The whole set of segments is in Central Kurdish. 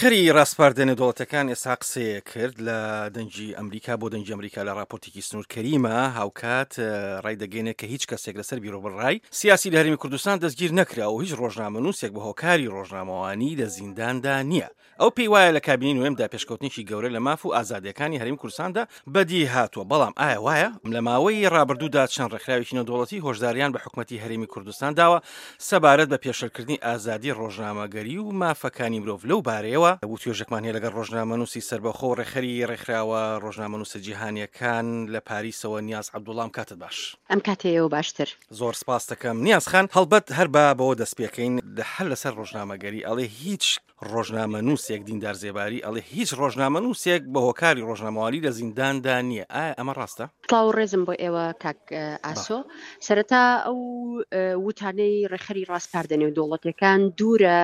ڕێکخەری ڕاسپاردە نێودەوڵەتیەکان ئێستا قسەیەک کرد لە دەنگی ئەمریکا بۆ دەنگی ئەمریکا لە ڕاپۆرتێکی سنوور کەریمە هاوکات ڕایدەگەینێت کە هیچ کەسێک لەسەر بیرۆبڕای سیاسی لە هەرێمی کوردستان دەستگیر نەکرا و هیچ ڕۆژنامەنووسێک بە هۆکاری ڕۆژنامەوانی لە زینداندا نییە. ئەو پێی وایە لە کابینەی نۆیەمدا پێشکەوتنێکی گەورە لە ماف و ئازادییەکانی هەرێمی کوردستاندا بەدی هاتووە، بەڵام ئایا وایە؟ لە ماوەی ڕابردوودا چەند ڕێکخراوێکی نێودەوڵەتی هۆشداریان بە حکومەتی هەرێمی کوردستان داوە سەبارەت بە پێشێلکردنی ئازادی ڕۆژنامەگەری و مافەکانی مرۆڤ، لەو بارەیەوە وتوێژێکمان هەیە لەگەڵ ڕۆژنامەنووسی سەربەخۆ و ڕێکخەری ڕێکخراوە ڕۆژنامەنووسە جیهانییەکان لە پاریسەوە نیاز عەبدوڵا، ئەم کاتەت باش. ئەم کاتەی ئێوە باشتر. زۆر سپاست دەکەم نیاز خان، هەڵبەت هەر با بەوە دەست پێکەین هەر لەسەر ڕۆژنامەگەری ئەڵێ هیچ ڕۆژنامەنووسێک دیندار زێباری ئەڵێ هیچ ڕۆژنامەنووسێک بە هۆکاری ڕۆژنامەوانی لە زینداندا نییە ئایا ئەمە ڕاستە؟ سڵاو و ڕێزم بۆ ئێوە کاک ئاسۆ. سەرەتا ئەو وتانەی ڕێکخەری ڕاسپاردە نێودەوڵەتیەکان دوورە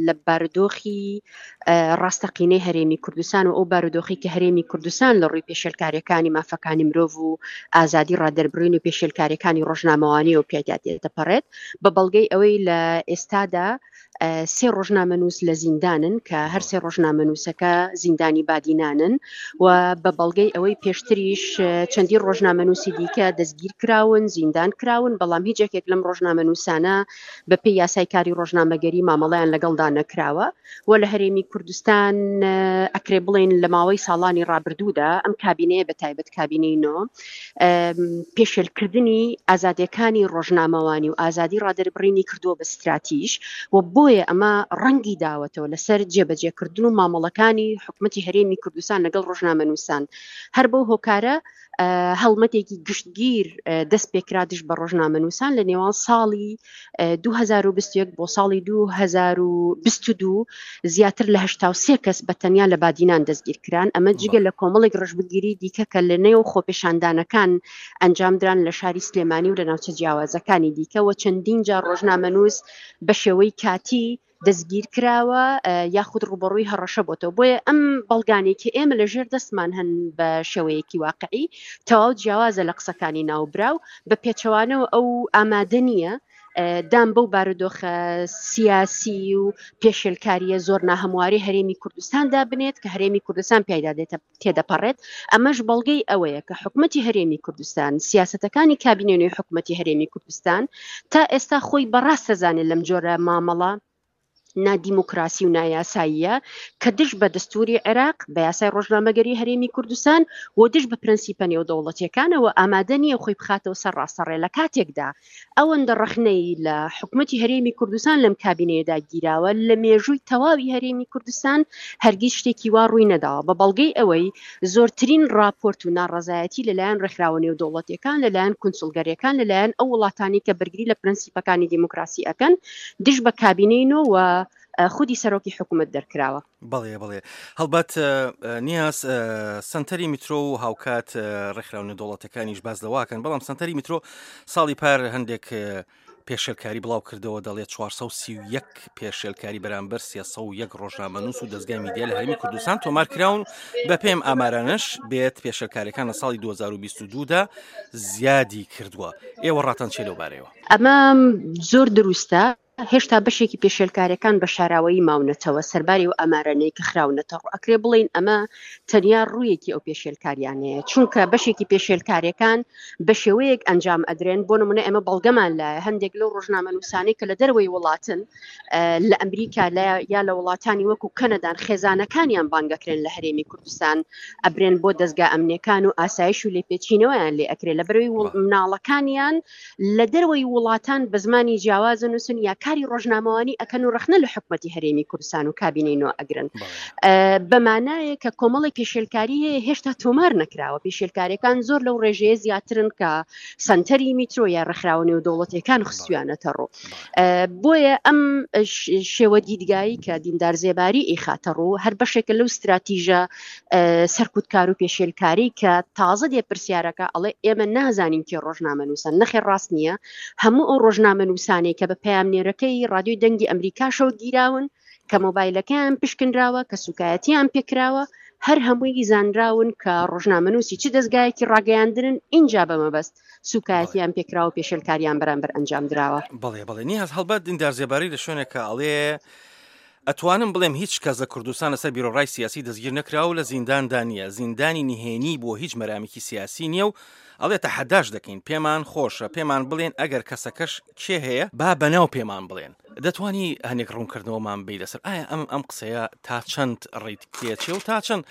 لە بارودۆخی ڕاستەقینەی هەرێمی کوردستان و ئەو بارودۆخی کە هەرێمی کوردستان لە ڕووی پێشێلکاریەکانی مافەکانی مرۆڤ و ئازادی ڕادەربڕین و پێشێلکاریەکانی ڕۆژنامەوانی و پیادا تێدەپەڕێت بە بەڵگەی ئەوەی لە ئێستادا سێ ڕۆژنامەنووس لە زیندانن کە هەر سێ ڕۆژنامەنووسەکە زیندانی بادینانن و بە بەڵگەی ئەوەی پێشتریش چەندین ڕۆژنامەنووسی دیکە دەستگیر کراون زیندان کراون بەڵام هیچ یەکێک لەم ڕۆژنامەنووسانە بە پێی یاسای کاری ڕۆژنامەگەری مامەڵەیان لەگەڵدا نەکراوە و لە هەرێمی کوردستان ئەکرێ بڵێین لە ماوەی ساڵانی ڕابردوودا ئەم کابینەیە بە تایبەت کابینەی نۆ پێشێلکردنی ئازادیەکانی ڕۆژنامەوانی و ئازادی ڕادەربڕینی کردووە بە ستراتیژ و بۆیە ئەمە ڕەنگی داوەتەوە لەسەر جێبەجێکردن و مامەڵەکانی حکومەتی هەرێمی کوردستان لەگەڵ ڕۆژنامەنووسان هەر بەو هۆکارە هەڵمەتێکی گشتگیر دەست پێکرا دژ بە ڕۆژنامەنووسان لە نێوان ساڵی 2021 بۆ ساڵی 2022 زیاتر لە 83 کەس بە تەنیا لە بادینان دەستگیر کران ئەمە جگە لە کۆمەڵێک ڕژبگیری دیکە کە لە نێو خۆپێشاندانەکان ئەنجامدران لە شاری سلێمانی و لە ناوچە جیاوازەکانی دیکە و چەندین جار ڕۆژنامەنووس بە شێوەی کاتی دەستگیر کراوە یاخود ڕوبەڕووی هەڕەشە بۆتەوە بۆیە ئەم بەڵگانەی کە ئێمە لە ژێر دەستمان هەن بە شێوەیەکی واقعی تەواو جیاوازە لە قسەکانی ناوبراو بە پێچەوانەوە ئەو ئامادە نییە دان بەو بارودۆخە سیاسی و پێشێلکاریە زۆر ناهەمواری هەرێمی کوردستاندا بنێت کە هەرێمی کوردستان پیایدا دێتە تێدەپەڕێت، ئەمەش بەڵگەی ئەوەیە کە حکومەتی هەرێمی کوردستان، سیاسەتەکانی کابینەی نوێی حکومەتی هەرێمی کوردستان تا ئێستا خۆی بە ڕاست دەزانێت لەم جۆرە مامەڵە نادیموکراسی و نایاساییە کە دژ بە دەستوری عێراق، بە یاسای ڕۆژنامەگەری هەرێمی کوردستان و دژ بە پرەنسیپە نێودەوڵەتیەکانەوە ئامادە نییە خۆی بخاتەوە سەر ڕاستەڕێ لە کاتێکدا ئەوەندە ڕەخنەی لە حکومەتی هەرێمی کوردستان لەم کابینەیەدا گیراوە، لە مێژووی تەواوی هەرێمی کوردستان هەرگیز شتێکی وا ڕووی نەداوە، بە بەڵگەی ئەوەی زۆرترین ڕاپۆرت و ناڕەزایەتی لەلایەن ڕێکخراوە نێودەوڵەتیەکان، لەلایەن کونسوڵگەریەکان، لەلایەن ئەو وڵاتانەی کە بەرگری لە پرەنسیپەکانی دیموکراسی ئەکەن دژ بە کابینەی نۆ و خودی سەرۆکی حکومەت دەرکراوە. بەڵێ بەڵێ هەڵبەت نیاز سەنتەری میترۆ و هاوکات ڕێکخراو نێودەوڵەتەکانیش باس لەواکەن بەڵام سەنتەری میترۆ ساڵی پار هەندێک پێشێلکاری بڵاو کردەوە دەڵێت 431 پێشێلکاری بەرامبەر 301 ڕۆژنامەنووس و دەستگای میدیا لە هەرمی کوردستان تۆمار کراون بە پێم ئامارانەش بێت پێشێلکاریەکان لە ساڵی 2022 دا زیادی کردووە ئێوە ڕاتان چێ لەو بارەیەوە؟ ئەمە زۆر دروستە هێشتا بەشێکی پێشێلکاریەکان بە شاراوەیی ماونەتەوە سەرباری ئەو ئامارانەی کە خراونەتە ڕوو، ئەکرێ بڵێین ئەمە تەنیا ڕوویەکی ئەو پێشێلکاریانەیە، چونکە بەشێکی پێشێلکاریەکان بە شێوەیەک ئەنجام ئەدرێن، بۆ نمونە ئێمە بەڵگەمان لایە هەندێک لەو ڕۆژنامەنووسانەی کە لە دەرەوەی وڵاتن لە ئەمریکا لە یا لە وڵاتانی وەکو کەنەدان خێزانەکانیان بانگەکرێن لە هەرێمی کوردستان ئەبرێن بۆ دەزگا ئەمنیەکان و ئاسایش و لێپێچینەوەیان لێ ئەکرێ لەبەرەوەی مناڵەکانیان لە دەرەوەی وڵاتان بە زمانی جیاواز ئەنووسن یا کاری ڕۆژنامەوانی ئەکەن و ڕەخنە لە حکومەتی هەرێمی کوردستان و کابینەی نۆ ئەگرن. بە مانایەک کە کۆمەڵێک پێشێلکاری هەیە هێشتا تۆمار نەکراوە، پێشێلکاریەکان زۆر لەو ڕێژەیە زیاترن کە سەنتەری میترۆ یا ڕێکخراوە نێودەوڵەتیەکان خستویانەتە ڕوو. بۆیە ئەم شێوە دیدگایی کە دیندار زێباری ئیخاتە ڕوو هەر بەشێکە لەو ستراتیژە سەرکوتکار و پێشێلکاری کە تازە دێ پرسیارەکە ئەڵێ ئێمە نازانین کێ ڕۆژنامەنووسە نەخێر ڕاست نییە هەموو ئەو ڕۆژنامەنووسانەی کە بە پەیامنێرەکەی ڕادیۆی دەنگی ئەمریکاشەوە گیراون کە مۆبایلەکەیان پشکنراوە کە سوکایەتیان پێکراوە هەر هەمووی زانراون کە ڕۆژنامەنووسی چ دەستگایەکی ڕاگەیاندنن ئینجا بە مەبەست سوکایەتیان پێکراوە پێشێلکاریان بەرامبەر ئەنجام دراوە. بەڵێ بەڵێ نیاز هەڵبەت دیندار زێباری لە شوێنێکە ئەڵێ. ئەتوانم بڵێم هیچ کەس لە کوردستان لەسەر بیرۆڕای سیاسی دەستگیر نەکراوە و لە زینداندا نییە، زیندانی نهێنی بۆ هیچ مەرامێکی سیاسی نییە و ئەڵێ تەحەداش دەکەین، پێمان خۆشە پێمان بڵێن ئەگەر کەسەکەش کێ هەیە با بەناو پێمان بڵێن. دەتوانی هەنێک ڕوونکردنەوەمان بەی لەسەر ئایا ئەم ئەم قسەیە تا چەند ڕێیت پێچێ و تا چەند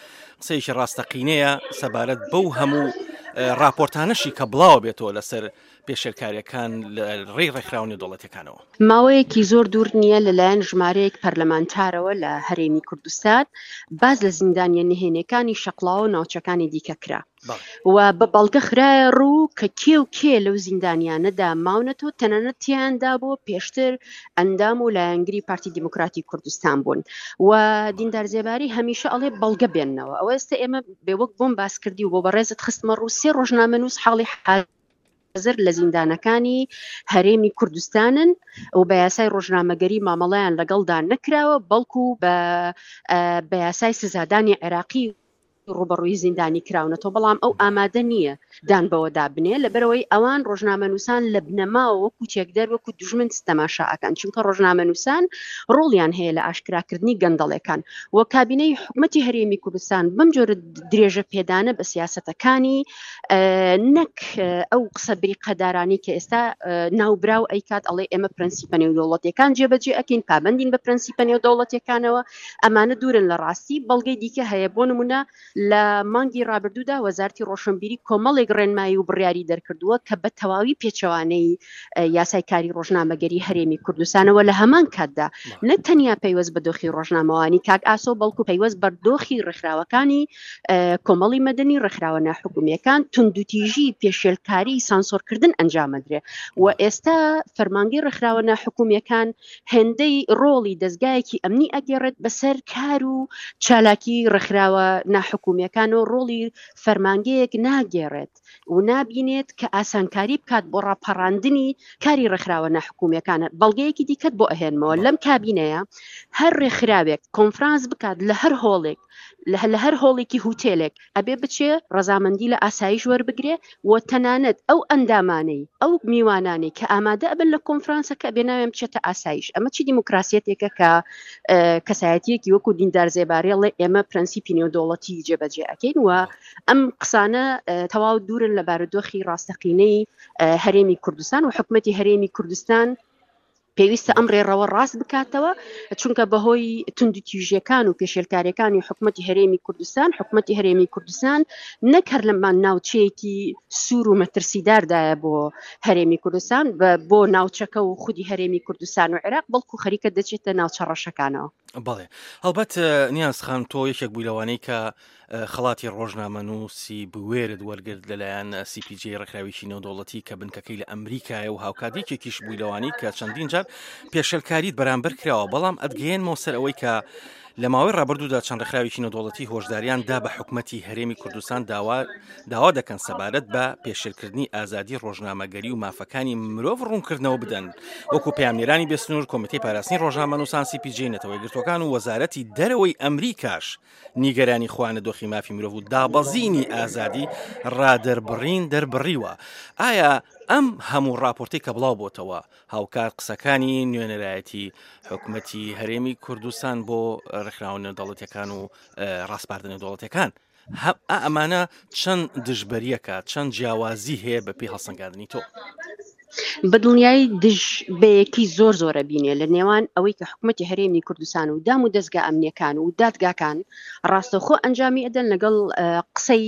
قسەیەکی ڕاستەقینەیە سەبارەت بەو هەموو ڕاپۆرتانەشی کە بڵاوە بێتەوە لەسەر پێشێلکاریەکان لە ڕێی ڕێکخراوە نێودەوڵەتیەکانەوە. ماوەیەکی زۆر دوور نییە لەلایەن ژمارەیەک پەرلەمانتارەوە لە هەرێمی کوردستان باس لە زیندانیە نهێنیەکانی شەقڵاوە و ناوچەکانی دیکە کرا و بە بەڵگە خرایە ڕوو کە کێ و کێ لەو زیندانیانەدا ماونەتەوە تەنانەت تیاندا بۆ پێشتر ئەندام و لایەنگری پارتی دیموکراتی کوردستان بوون و دیندار زێباری هەمیشە ئەڵێ بەڵگە بێننەوە ئەوە ئێستا ئێمە بێ وەک بۆم باس کردی و بۆ بەڕێزت خستمە ڕوو سێ ڕۆژنامەنووس حاڵی حازر لە زیندانەکانی هەرێمی کوردستانن و بە یاسای ڕۆژنامەگەری مامەڵەیان لەگەڵدا نەکراوە بەڵکو بە بە یاسای سزادانی عێراقی ڕوبەڕووی زیندانی کراونەتەوە بەڵام ئەو ئامادە نییە دان بەوەدا بنێ لەبەرئەوەی ئەوان ڕۆژنامەنووسان لە بنەماوە وەکو تێکدەر وەکو دوژمن تەماشا ئەکەن چونکە ڕۆژنامەنووسان ڕۆڵیان هەیە لە ئاشکراکردنی گەندەڵێکان و کابینەی حکومەتی هەرێمی کوردستان بەم جۆرە درێژە پێدانە بە سیاسەتەکانی نەک ئەو قسە بریقەدارانی کە ئێستا ناوبراو ئەیکات ئەڵێ ئێمە پرەنسیپە نێودەوڵەتیەکان جێبەجێ ئەکەین پابەندین بە پرەنسیپە نێودەوڵەتیەکانەوە ئەمانە دوورن لە ڕاستی بەڵگەی دیکە هەیە بۆ نمونە لە مانگی ڕابردوودا وەزارەتی ڕۆشنبیری کۆمەڵێک ڕێنمایی و بڕیاری دەرکردووە کە بە تەواوی پێچەوانەی یاسای کاری ڕۆژنامەگەری هەرێمی کوردستانەوە لە هەمان کاتدا نەک تەنیا پەیوەست بە دۆخی ڕۆژنامەوانی کاک ئاسۆ بەڵکو پەیوەست بە دۆخی ڕێکخراوەکانی کۆمەڵی مەدەنی ڕێکخراوە ناحکومیەکان توندوتیژی پێشێلکاری سانسۆرکردن ئەنجامەدرێ و ئێستا فەرمانگەی ڕێکخراوە ناحکومیەکان هێندەی ڕۆڵی دەزگایەکی ئەمنی ئەگێڕێت بەسەر کار و چالاکی ڕێکخراوە ناحکومیەکان و ڕۆڵی فەرمانگەیەک ناگێڕێت و نابینێت کە ئاسانکاری بکات بۆ ڕاپەڕاندنی کاری ڕێکخراوە ناحکومیەکان. بەڵگەیەکی دیکەت بۆ ئەهێنمەوە لەم کابینەیە هەر ڕێکخراوێک کۆنفرانس بکات لە هەر هۆڵێک لە هەر هۆڵێکی هوتێلێک ئەبێ بچێ ڕەزامەندی لە ئاسایش وەربگرێ و تەنانەت ئەو ئەندامانەی ئەو میوانانەی کە ئامادە ئەبن لە کۆنفرانسەکە ئەبێ ناویان بچێتە ئاسایش ئەمە چی دیموکراسیەتێکە کە کەسایەتیەکی وەکو دیندار زێباری ئەڵێ ئێمە پرەنسیپی نێودەوڵەتی جێبەجێ ئەکەین و ئەم قسانە تەواو دوورن لە بارودۆخی ڕاستەقینەی هەرێمی کوردستان و حکومەتی هەرێمی کوردستان پێویستە ئەم ڕێڕەوە ڕاست بکاتەوە چونکە بەهۆی توندوتیژیەکان و پێشێلکاریەکانی حکومەتی هەرێمی کوردستان حکومەتی هەرێمی کوردستان نەک هەر لەمان ناوچەیەکی سوور و مەترسیداردایە بۆ هەرێمی کوردستان بۆ ناوچەکە و خودی هەرێمی کوردستان و عێراق بەڵکو خەریکە دەچێتە ناوچە ڕەشەکانەوە. بەڵێ هەڵبەت نیاز خان تۆ یەکێک بووی لەوانەی کە خەڵاتی ڕۆژنامەنووسی بوێرت وەرگرت لەلایەن CPJ ڕێکخراوێکی نێودەوڵەتی کە بنکەکەی لە ئەمریکایە و هاوکات یەکێکیش بووی لەوانەی کە چەندین جار پێشێلکاریت بەرامبەر کراوە بەڵام ئەتگەیەنمەوە سەر ئەوەی کە لە ماوەی ڕابردوودا چەند ڕێکخراوێکی نێودەوڵەتی هۆشداریان دا بە حکومەتی هەرێمی کوردستان داوا داوا دەکەن سەبارەت بە پێشێلکردنی ئازادی ڕۆژنامەگەری و مافەکانی مرۆڤ ڕوونکردنەوە بدەن وەکو پەیامنێرانی بێسنوور کۆمیتەی پاراستنی ڕۆژنامەنووسان CPJ نەتەوە یەکگرتووەکان و وەزارەتی دەرەوەی ئەمریکاش نیگەرانی خۆیان لە دۆخی مافی مرۆڤ و دابەزینی ئازادی ڕادەربڕین دەربڕیوە. ئایا ئەم هەموو ڕاپۆرتەی کە بڵاو بۆتەوە هاوکات قسەکانی نوێنەرایەتی حکومەتی هەرێمی کوردستان بۆ ڕێکخراوە نێودەوڵەتیەکان و ڕاسپاردە نێودەوڵەتیەکان ئەمانە چەند دژبەریەکە چەند جیاوازی هەیە بە پێی هەڵسەنگاندنی تۆ؟ بە دڵنیایی دژ بەیەکی زۆر زۆرە بینێ لە نێوان ئەوەی کە حکومەتی هەرێمی کوردستان و دام و دەزگا ئەمنیەکان و دادگاکان ڕاستەوخۆ ئەنجامی ئەدەن لەگەڵ قسەی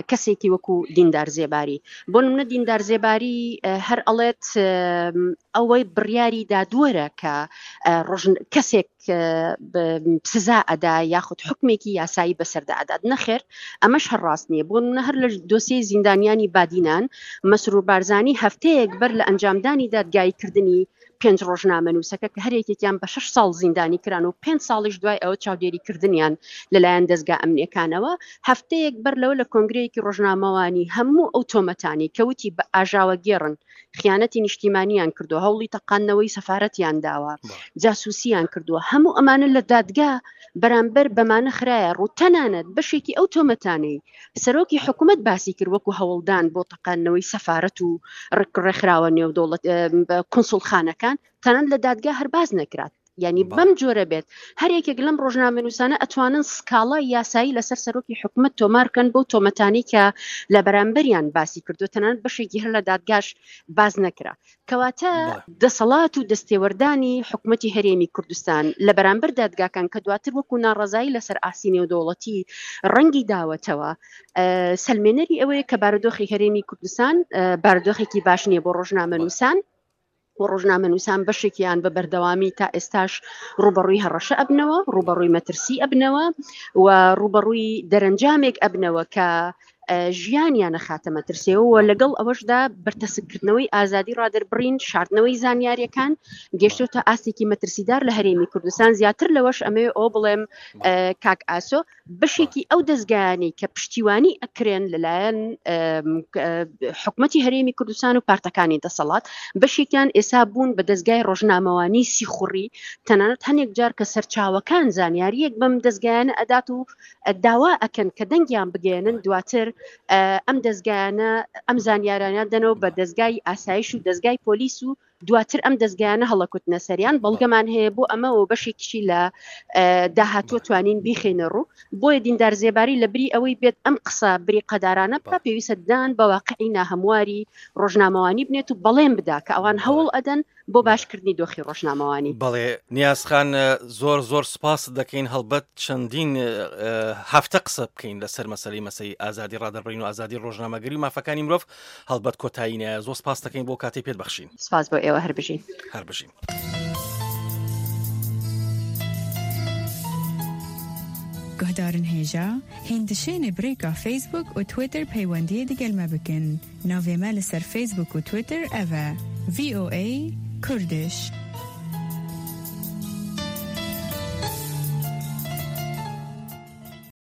کەسێکی وەکو دیندار زێباری بۆ نمونە دیندار زێباری هەر ئەڵێت ئەوەی بڕیاری دادوەرە کە ڕۆژ کەسێک سزا ئەدا یاخود حکمێکی یاسایی بەسەردا ئەدات نەخێر ئەمەش هەر ڕاست نییە بۆ نمونە هەر لە دۆسیەی زیندانیانی بادینان مەسرور بارزانی هەفتەیەک بەر لە ئەنجامدانی دادگاییکردنی پێنج ڕۆژنامەنووسەکە کە هەر یەکێکیان بە شەش ساڵ زیندانی کران و پێنج ساڵیش دوای ئەوە چاودێریکردنیان لەلایەن دەزگا ئەمنیەکانەوە هەفتەیەک بەر لەوە لە کۆنگرەیەکی ڕۆژنامەوانی هەموو ئەو تۆمەتانی کە وتی بە ئاژاوەگێڕن خیانەتی نیشتیمانیان کردووە، هەوڵی تەقاندنەوەی سەفارەتیان داوە، جاسوسیان کردووە، هەموو ئەمانە لە دادگا بەرامبەر بەمانە خرایە ڕوو، تەنانەت بەشێکی ئەو تۆمەتانەی سەرۆکی حکومەت باسی کرد وەکو هەوڵدان بۆ تەقاندنەوەی سەفارەت و ڕێکخراوە نێودەوڵەت کونسوڵخانەکان تەنانەت لە دادگا هەر باس نەکرا. یعنی بەم جۆرە بێت هەر یەکێک لەم ڕۆژنامەنووسانە ئەتوانن سکاڵای یاسایی لەسەر سەرۆکی حکومەت تۆمار بکەن بەو تۆمەتانەی کە لە بەرامبەریان باسی کردو تەنانەت بەشێکی هەر لە دادگاش باس نەکرا. کەواتە دەسەڵات و دەستێوەردانی حکومەتی هەرێمی کوردستان لە بەرامبەر دادگاکان کە دواتر وەکو ناڕەزایی لەسەر ئاستی نێودەوڵەتی ڕەنگی داوەتەوە سەلمێنەری ئەوەیە کە بارودۆخی هەرێمی کوردستان بارودۆخێکی باش نییە بۆ ڕۆژنامەنووسان. و ڕۆژنامەنووسان بەشێکیان بە بەردەوامی تا ئێستاش ڕووبەڕووی هەڕەشە ئەبنەوە، ڕووبەڕووی مەترسی ئەبنەوە و ڕووبەڕووی دەرەنجامێک ئەبنەوە کە ژیانیان ئەخاتە مەترسیەوە و لەگەڵ ئەوەشدا بەرتەسککردنەوەی ئازادی ڕادەربڕین، شاردنەوەی زانیاریەکان گەشتۆتە ئاستێکی مەترسیدار لە هەرێمی کوردستان. زیاتر لەوەش ئەمەوێ ئەوە بڵێم کاک ئاسۆ، بەشێکی ئەو دەزگایانەی کە پشتیوانی ئەکرێن لەلایەن حکومەتی هەرێمی کوردستان و پارتەکانی دەسەڵات، بەشێکیان ئێسا بوون بە دەزگای ڕۆژنامەوانی سیخوڕی، تەنانەت هەنێک جار کە سەرچاوەکان زانیاریەک بەم دەزگایانە ئەدات و داوا ئەکەن کە دەنگیان بگەیەنن، دواتر ئەم دەزگایانە ئەم زانیارانە دەنەوە بە دەزگای ئاسایش و دەزگای پۆلیس و دواتر ئەم دەزگایانە هەڵەکوتنە سەریان، بەڵگەمان هەیە بۆ ئەمە و بەشێکیشی لە داهاتووە توانین بیخەینە ڕوو. بۆیە دیندار زێباری لە بری ئەوەی بێت ئەم قسە بریقەدارانە بکا، پێویستە دان بە واقعی ناهەمواری ڕۆژنامەوانی بنێت و بەڵێن بدا کە ئەوان هەوڵ ئەدەن بۆ باشکردنی دۆخی ڕۆژنامەوانی. بەڵێ نیاز خان زۆر زۆر سپاست دەکەین، هەڵبەت چەندین هەفتە قسە بکەین لەسەر مەسەلەی مەسەی ئازادی ڕادەربڕین و ئازادی ڕۆژنامەگەری و مافەکانی مرۆڤ، هەڵبەت کۆتایی نایە. زۆر سپاست دەکەین بۆ کاتەی پێت بەخشین. سپاس بۆ ئێوە هەر بژین. هەر بژین. گوهدارن هێژا هین دشێنێ برێکا فەیسبووک و تویتر پەیوەندیێ دگەل مە بکن. ناڤێ مە لە سەر فەیسبووک و تویتر ئەڤە، VOA Kurdish.